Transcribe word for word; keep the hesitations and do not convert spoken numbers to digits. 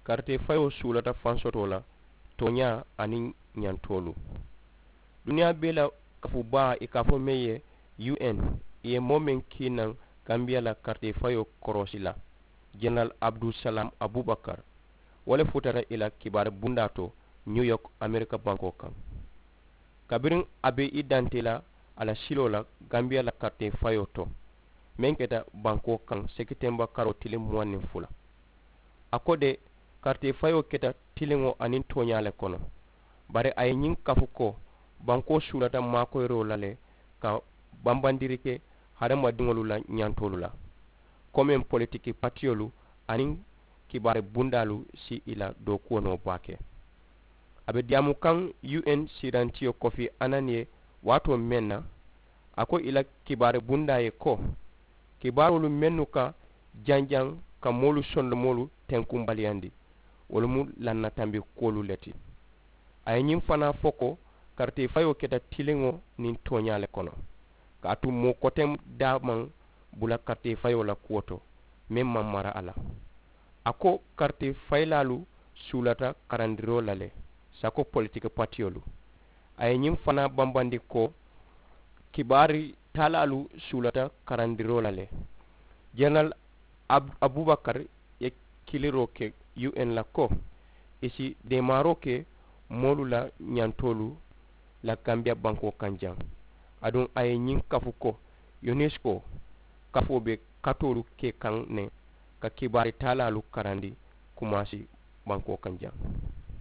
Karitee fayoo suulata fansotoo la tooñaa aniŋ ñantoolu. Duniyaa bee la kafu baa i ka a fo meŋ ye, un, i ye moo meŋ kii naŋ gambiya la karitee fayoo koroosi la, jeneral abudusalaam abubakar, wo le futata i la kibaari bundaa to, niw yok amerika bankoo kaŋ. Kabiriŋ a be i dantee la a la siloo la gambiya la karitee fayoo to, meŋ keta bankoo kaŋ sekitemba karoo tiliŋ muwaŋ niŋ fula. A ko de, karitee fayoo keta tiliŋo aniŋ tooñaa le kono. Bari a ye ñiŋ kafu ko, bankoo suulata maakoyiroo la le ka bambandiri ke hadamadiŋolu la ñantoolu la, komeŋ politiki patiyolu aniŋ kibaari bundaalu si i la dookuwo noo baake. A be diyaamu kaŋ, un siirantiyo kofi anan ye waatoo meŋ na, a ko i la kibaari bundaa ye ko, kibaaroolu mennu ka janjaŋ ka moolu sondomoolu tenkunbaliyandi, wolu mu lannatambi kuwolu le ti. A ye ñiŋ fanaa fo ko, karitee fayoo keta tiliŋo niŋ tooñaa le kono, kaatu moo koteŋ daa maŋ bula karitee fayoo la kuwo to meŋ maŋ mara a la. A ko, karitee fayilaalu suulata karandiroo la le, sako politiki patiyolu. A ye ñiŋ fanaa bambandi ko, kibaari taalaalu suulata karandiroo la le. Jeneral abubakar ye kiliroo ke un la ko, i si deemaaroo ke moolu la ñantoolu la gambiya bankoo kaŋ jaŋ. Aduŋ a ye ñiŋ kafu ko, unesco kafoo be katoolu ke kaŋ ne ka kibaari taalaalu karandi kumaasi bankoo kaŋ jaŋ.